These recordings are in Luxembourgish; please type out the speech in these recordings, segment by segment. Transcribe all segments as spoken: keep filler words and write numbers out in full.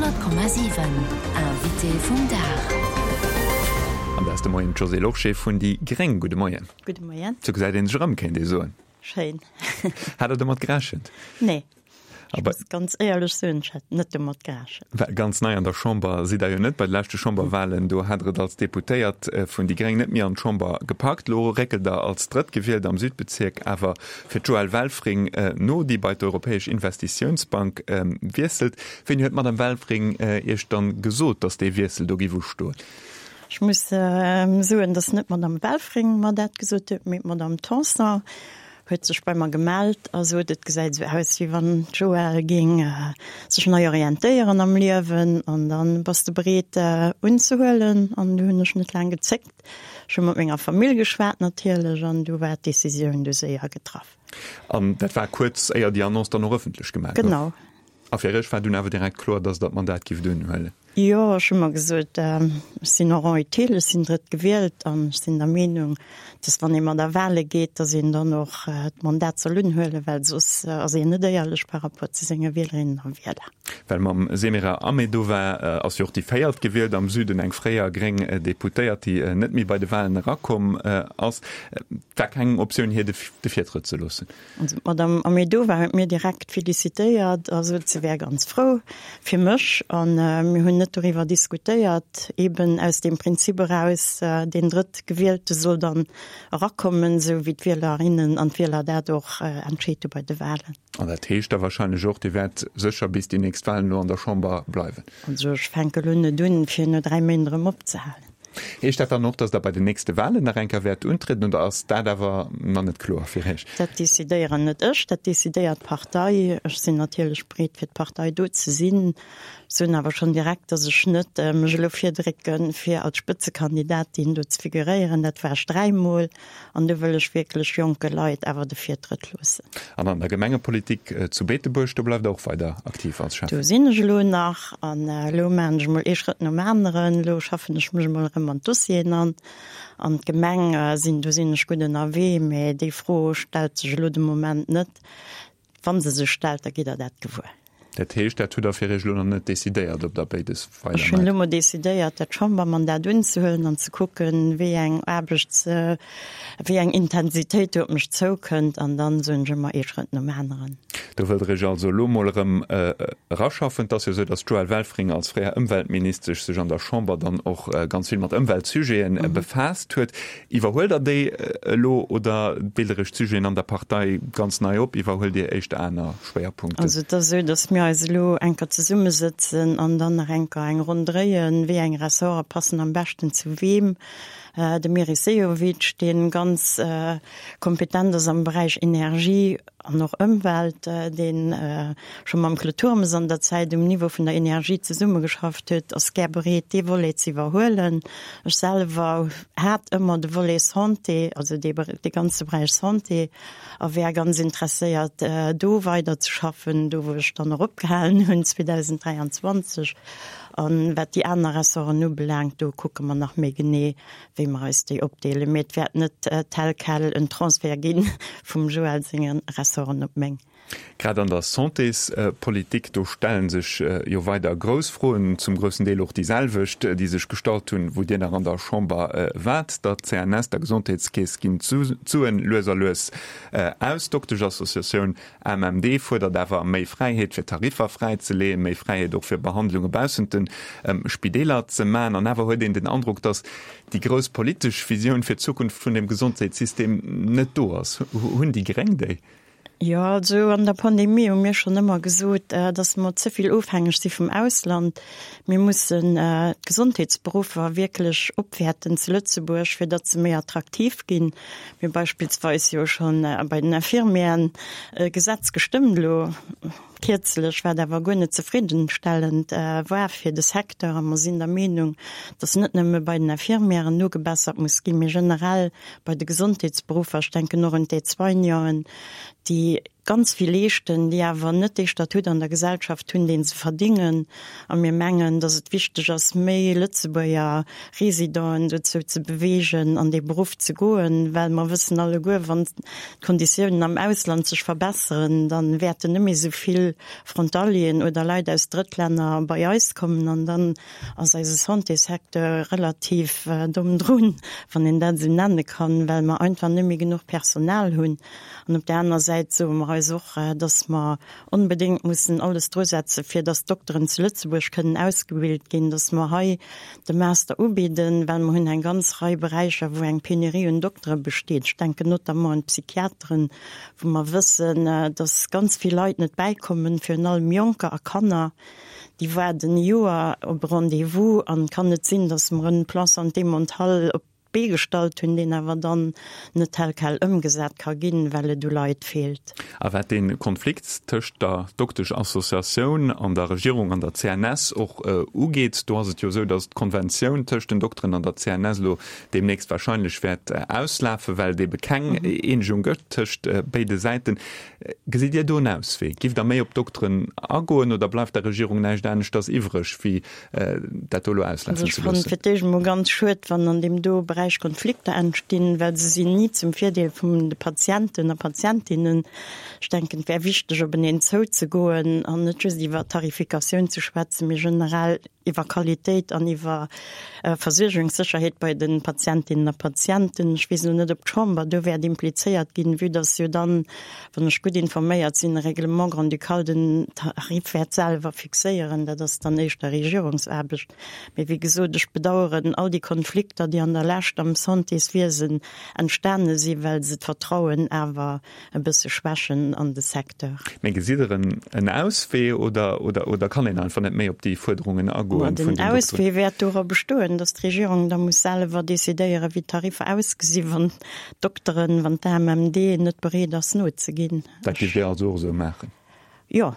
Honnert Komma siwen, Invité vum Dag. An dat ass de Moien d'Josée Lorsché vun déi gréng. Gudde Moien. Gudde Moien. Sou gesäit een sech erëm, kéint ee soen. Schéin. Hat Der domat gerechent? Nee. Ech muss ganz éierlech soen, ech hat net domat gerechent. Well ganz nei an der Chamber sidd Der jo net. Bei de leschte Chamberwahlen, do hat Der et als Deputéiert vun déi gréng net méi an d'Chamber gepackt. Elo réckelt Der als Drëttgewielt am Südbezierk awer fir d'Joëlle Welfring no, déi bei d'Europäesch Investitiounsbank wiesselt. Wéini huet d'Madame Welfring Iech dann gesot, datt dee Wiessel do giff ustoen? Ech muss soen, datt net d'Madame Welfring mer dat gesot huet, mee d'Madame Tanson huet sech bei mer gemellt a sot, et gesäit esou aus, wéi wann d'Joëlle géing sech nei orientéieren am Liewen an dann bass de bereet unzehuelen. An du hunn ech net laang gezéckt. Ech hu mat menger Famill geschwat natierlech an du war d'Decisioun du séier getraff. An dat war kuerz éier déi Annonce dann och ëffentlech gemaach gouf? Genau. A fir Iech war dunn awer direkt kloer, dass Der d'Mandat gifft unhuelen? Jo, ech hu mer gesot, ech sinn en rang utile, ech sinn drëtt gewielt an ech sinn der Meenung, dass wann ee mat a Wahle geet, dass een dann och d'Mandat soll unhuelen, well soss ass een net éierlech par rapport zu senge Wielerinnen a Wieler. Well mam Semira Ahmedova ass jo och déi véiert gewielt am Süden, eng fréier gréng Deputéiert, déi net méi bei de Wahlen erakomm ass. Et war keng Optioun, hir de Virtrëtt ze loossen. Also d'Madame Ahmedova huet mir direkt felicitéiert a sot, se wär ganz frou fir mech. A mir hunn net doriwwer diskutéiert, eben aus deem Prinzip eraus, deen Drëttgewielte soll dann erakommen, esou wéi d'Wielerinnen an d'Wieler dat och entscheet hu bei de Wahlen. An dat heescht da wahrscheinlech och, Dir wäert sécher bis déi nächst Wahlen elo an der Chamber bleiwen? Also ech fänke elo net un, fir no dräi Méint erëm opzehalen. Heescht dat dann och, datt Der bei den nächste Wahlen nach eng Kéier wäert untrieden oder ass dat awer nach net kloer fir Iech? Dat decidéieren net ech, dat decidéiert d'Partei. Ech sinn natierlech bereet, fir d'Partei do ze sinn. Ech soen awer schonn direkt, datt ech net mech elo virdrécken, fir als Spëtzekandidatin do ze figuréieren. Dat war ech dräimol an do wëll ech wierklech jonke Leit awer de Virtrëtt loossen. An an der Gemengepolitik zu Beetebuerg, do bleift Der och weider aktiv als Schäffen? Do sinn ech elo nach an elo maachen ech emol ee Schrëtt nom aneren. Elo schaffen ech mech emol erëm an d'Dossieren an. An d'Gemeng sinn, do sinn ech gutt ënnerwee, mä déi Fro stellt sech elo de Moment net. Wa se sech stellt, da gitt Der dat gewuer. Dat heescht, dat hutt Der fir Iech elo nach net decidéiert, ob Der béides weider Ech hunn maacht? elo mol decidéiert, dat Chambermandat unzehuelen an ze kucken, wéi eng Aarbechts-, wéi eng Intensitéit do op mech zoukënnt. An dann soen ech ëmmer ee Schrëtt nom aneren. Do wëllt Der Iech also elo mol erëm eraschaffen. Et ass jo esou, datt d'Joëlle Welfring als fréier Ëmweltministesch sech an der Chamber dann och ganz vill mat Ëmweltsujete befaasst huet. Iwwerhuelt Der déi elo oder deelt Der Iech d'Sujeten an der Partei ganz nei op? Iwwerhuelt Dir éischter aner Schwéierpunkten? Also et ass esou, datt mir eis elo eng Kéier zesummesëtzen an dann nach eng Kéier eng Ronn dréien, wéi eng Ressorte passen am beschten zu weem. De Meris Sehovic, dee ganz kompetent ass am Beräich Energie an och Ëmwelt, dee scho mam Claude Turmes an der Zäit um Niveau vun der Energie zesummegeschafft huet, ass gär bereet, dee Volet ze iwwerhuelen. Ech selwer hat ëmmer de Volet Santé, also dee ganze Beräich Santé, a wär ganz interesséiert, do weiderzeschaffen, do wou ech dann och opgehalen hunn zweedausenddräianzwanzeg. A wat déi aner Ressorten ubelaangt, do kucke mer nach méi genee, wéi mer eis déi opdeelen. Mee et wäert net tel quel en Transfert gi vum Joël senge Ressorten op meng. Grad an der Santéspolitik, do stelle sech jo weider grouss Froen, zum groussen Deel och déi selwecht, déi sech gestallt hunn, wou Dir nach an der Chamber waart. Der C N S, der Gesondheetskeess, ginn d'Suen lues a lues aus. D'Dokteschassociatioun A M M D fuerdert awer méi Fräiheet fir Tariffer fräizeleeën, méi Fräiheet och fir Behandlunge baussent de Spideeler ze maachen. An awer huet een den Androck, datt déi grouss politesch Visioun fir d'Zukunft vun dem Gesondheetssystem net do ass. Hunn déi Gréng déi? Jo, also an der Pandemie hu mir schonn ëmmer gesot, dass mer ze vill ofhängeg si vum Ausland. Mir mussen d'Gesondheetsberuffer wierklech opwäerten zu Lëtzebuerg, fir datt se méi attraktiv ginn. Mir hu beispillsweis jo schonn bei den Infirmieren e Gesetz gestëmmt elo kierzlech, wat awer guer net zefriddenstellend war fir de Secteur. A mer sinn der Meenung, dass net nëmme bei den Infirmieren nogebessert muss ginn, mee generell bei de Gesondheetsberuffer. Ech denken och un d'Aide-soignanten, déi ganz vill leeschten, déi awer net dee Statut an der Gesellschaft hunn, dee se verdingen. A mir mengen, dass et wichteg ass, méi Lëtzebuerger Residenten dozou ze beweegen, an dee Beruff ze goen, well mer wëssen alleguer, wann d'Konditiounen am Ausland sech verbesseren, da wäerten net méi esou vill Frontalieren oder Leit aus Drëttlänner bei eis kommen an dann ass eise Santésecteur relativ domm drun, wann een dat esou nenne kann, well mer einfach net méi genuch Personal hunn. An op där aner Säit soe mer eis och, dass mer onbedéngt mussen alles drusetze fir dass d'Dokteren zu Lëtzebuerg kënnen ausgebilt ginn, dass mer hei de Master ubidden, well mer hunn eng ganz Rei Beräicher, wou eng Penurie un Doktere besteet. Ech denken notamment un d'Psychiateren, wou mer wëssen, dass ganz vill Leit net bäikommen, virun allem Jonker a Kanner, déi waarden e Joer op e Rendez-vous. An et kann net sinn, dass mer en Plan santé mentale op d'Bee gestallt hunn, deen awer dann net tel quel ëmgesat ka ginn, well et u Leit feelt. A wat dee Konflikt tëscht der Doktesch-Associatioun an der Regierung an der C N S och ugeet, do ass et jo esou, datt d'Konventioun tëscht den Dokteren an der C N S elo deemnächst wahrscheinlech wäert auslafen, well et ebe keng Eenegung gëtt tëscht béide Säiten. Gesitt Dir do en Auswee? Giff Der méi op d'Dokteren agoen oder bleift der Regierung näischt aneschters iwwreg, wéi dat do elo auslafen Also ech ze fannen loossen? fir d'éischt emol ganz schued, wann an deem do Beräich Konflikter entstinn, well se sinn ni zum Virdeel vun de Patienten a Patientinnen. Ech denken, et wär wichteg, openeen zouzegoen an net just iwwer Tarifikatioun ze schwätzen, mee generell iwwer Qualitéit an iwwer Versuergungssécherheet bei de Patientinnen a Patienten. Ech weess elo net, ob d'Chamber do wäert implizéiert ginn, vue dass jo dann, wann ech gutt informéiert sinn, e Règlement grand-ducal den Tarif wäert selwer fixéieren. Dat ass dann éischter Regierungsaarbecht. Mee wéi gesot, ech bedauern all déi Konflikter, déi an der Lescht am Santéswiesen entstane sinn, well se d'Vertrauen awer e bësse schwächen an de Secteur. Mee gesitt Der en Auswee oder, oder, oder kann een einfach net méi op déi Fuerderungen agoen Ma vun den den Dokteren? Auswee wäert dora bestoen, dass d'Regierung da muss selwer decidéieren, wéi d'Tariffer ausgesinn, wann d'Dokteren, wann d'A M M D net bereet ass nozeginn. Dat géift Dir also och esou maachen? Jo.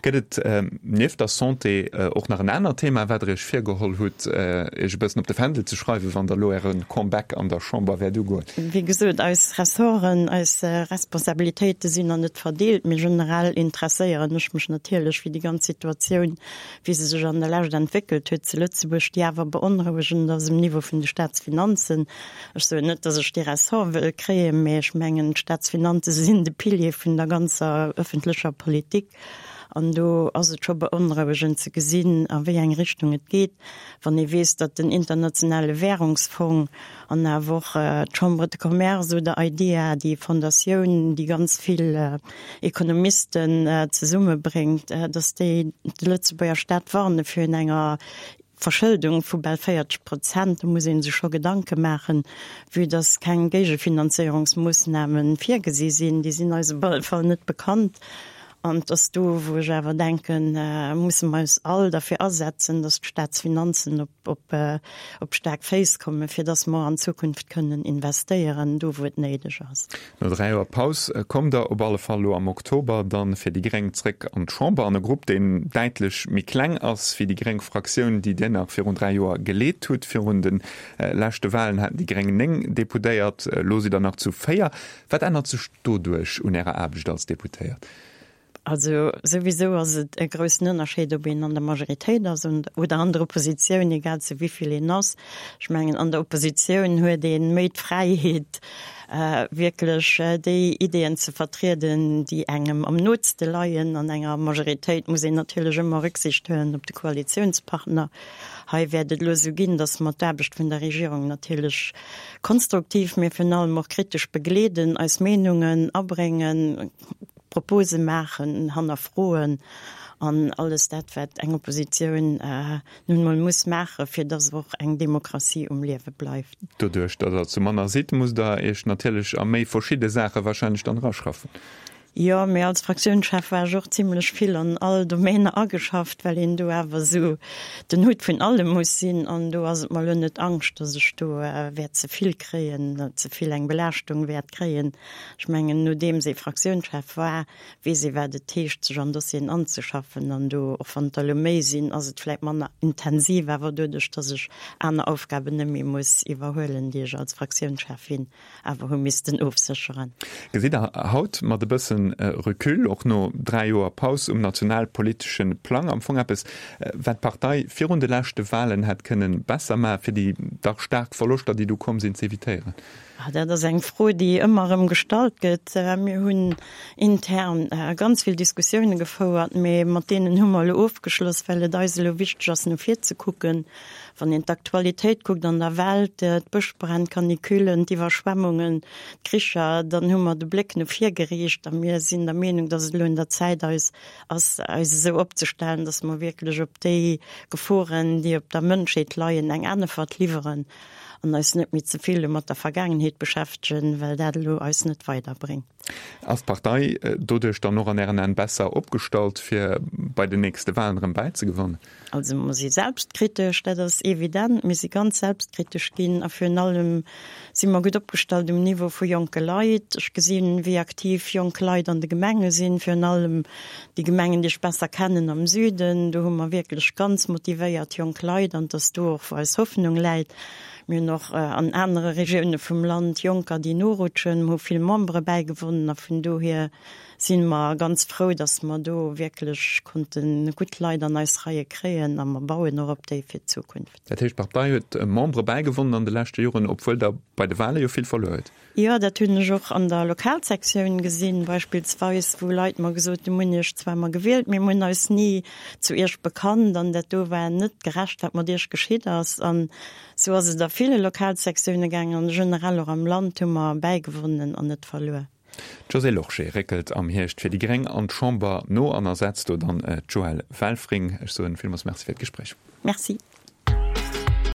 Gëtt et nieft der Santé och nach en anert Thema, wat Der Iech virgeholl hutt, Iech e bëssen op de Fändel ze schreiwen, wann Der elo Äre Comeback an der Chamber wäert ugoen? Wéi gesot, eis Ressorten, eis Responsabilitéite sinn nach net verdeelt, mee generell interesséieren ech mech natierlech fir déi ganz Situatioun, wéi se sech an der Lescht entwéckelt huet zu Lëtzebuerg, déi awer beonrouegend ass um Niveau vun de Staatsfinanzen. Ech soen net, datt ech dee Ressort wëll kréien, mee ech mengen, d'Staatsfinanze sinn de Pilier vun der ganzer ëffentlecher Politik. An do ass et scho beonrouegend ze gesinn, a wéi eng Richtung et geet, wann ee weess, datt den Internationale Währungsfong an awer och d'Chambre de Commerce oder IDEA, déi Fondatioun, déi ganz vill Ekonomisten zesummebréngt, datt déi de Lëtzebuerger Staat warne virun enger Verschëldung vu bal véierzeg Prozent. Do muss ee sech scho Gedanke maachen, vue datt keng Géigefinanzéierungsmoossname virgesi sinn. Déi sinn eis op alle Fall net bekannt. An et ass do, wou ech awer denken, musse mer eis all derfir asetzen, datt d'Staatsfinanzen op, op, op staark Féiss kommen, fir datt mer an Zukunft kënnen investéieren, do wou et néideg ass. No dräi Joer Paus kommt Der op alle Fall elo am Oktober dann fir déi Gréng zréck an d'Chamber, an e Grupp, deen däitlech méi kleng ass wéi déi gréng Fraktioun, déi Dir nach virun dräi Joer geleet hutt. Virun de leschte Walen haten déi Gréng néng Deputéiert, elo sidd Der nach zu véier. Wat ännert sech doduerch un Ärer Aarbecht als Deputéiert? Also souwisou ass et e groussen Ënnerscheed, ob een an der Majoritéit ass oder an der Oppositioun, egal zu wéi vill een ass. Ech mengen, an der Oppositioun huet ee méi d'Fräiheet, wierklech déi Ideeën ze vertrieden, déi engem am nootste leien. An enger Majoritéit muss een natierlech ëmmer Rücksicht huelen op de Koalitiounspartner. Hei wäert et elo esou ginn, datt mer d'Aarbecht vun der Regierung natierlech konstruktiv, mee virun allem och kritesch begleeden, eis Meenungen abréngen, Propose maachen, hannerfroen an alles dat, wat eng Oppositioun nun emol muss maachen, fir dass och eng Demokratie um Liewe bleift. Doduerch, datt Der zu manner sidd, musst Der Iech natierlech a méi verschidde Saache wahrscheinlech dann eraschaffen. Jo, mee als Fraktiounschef war ech och zimlech vill an all Domainer ageschafft, well een do awer esou den Hutt vun allem muss sinn. An do ass et mer elo net Angscht, dass ech do wäert ze vill kréien, ze vill eng Belaaschtung wäert kréien. Ech mengen, nodeems ee Fraktiounschef war, weess ee wat et heescht, sech an Dossieren anzeschaffen. An do, och wann et der elo méi sinn, ass et vläicht manner intensiv, awer doduerch, dass ech aner Aufgaben net méi muss iwwerhuelen, déi ech als Fraktiounscheffin awer hu missten ofsécheren. Gesitt Der haut mat e bëssen gewëssene Recul, och no dräi Joer Paus um nationalpolitesche Plang. Am Fong eppes, wat d'Partei virun de leschte Walen hätt kënnen besser maachen, fir déi dach staark Verloschter, déi du komm sinn, z'evitéieren? Dat ass eng Fro, déi ëmmer erëm gestallt gëtt. Mir hunn intern ganz vill Diskussioune gefouert, mee mat deenen hu mer elo ofgeschloss, well et eis elo wichteg ass, no vir ze kucken. Wann een d'Aktualitéit kuckt an der Welt, d'Bëschbränn, d'Canicullen, d'Iwwerschwemmungen, d'Kricher, dann hu mer de Bléck no vir geriicht a mir sinn der Meenung, dass et elo un der Zäit eis ass, eis esou opzestellen, dass mer wierklech op déi Geforen, déi op der Mënschheet leien, eng Äntwert liwweren an eis net méi ze vill mat der Vergaangenheet beschäftegen, well dat elo eis net weiderbréngt. Ass d'Partei doduerch dann och an Ären Aen besser opgestallt, fir bei den nächste Walen erëm bäizegewannen? Also mer si selbstkritesch, dat ass evident. Mir si ganz selbstkritesch ginn a virun allem si mer gutt opgestallt um Niveau vu jonke Leit. Ech gesinn, wéi aktiv jonk Leit an de Gemenge sinn, virun allem déi Gemengen, déi ech besser kennen am Süden. Do hu mer wierklech ganz motivéiert jonk Leit an et ass do och, wou eis Hoffnung läit. Mir hunn och an anere Regioune vum Land Jonker, déi norutschen. Mir hu vill Membere bäigewonnen a vun dohier si mer ganz frou, datt mer do wierklech konnte gutt Leit an eis Reie kréien a mer bauen och op déi fir d'Zukunft. Dat heescht, d'Partei huet Membere bäigewonnen an de leschte Joren, obwuel Der bei de Wale jo vill verluer hutt? Jo, dat hunn ech och an der Lokalsektioun gesinn, beispillsweis, wou Leit mer gesot hunn, Mir hunn Iech zwar emmer gewielt, mee mir hunn eis ni zu Iech bekannt an dat do war net gerecht, wat mat Iech geschitt ass. An esou ass et a ville Lokalsektioune gaangen an generell och am Land hu mer bäigewonnen an net verluer. D'Josée Lorsché réckelt am Hierscht fir déi Gréng an d'Chamber no an ersetzt do dann d'Joëlle Welfring. Ech soen villmools Merci fir d'Gespréich. Merci.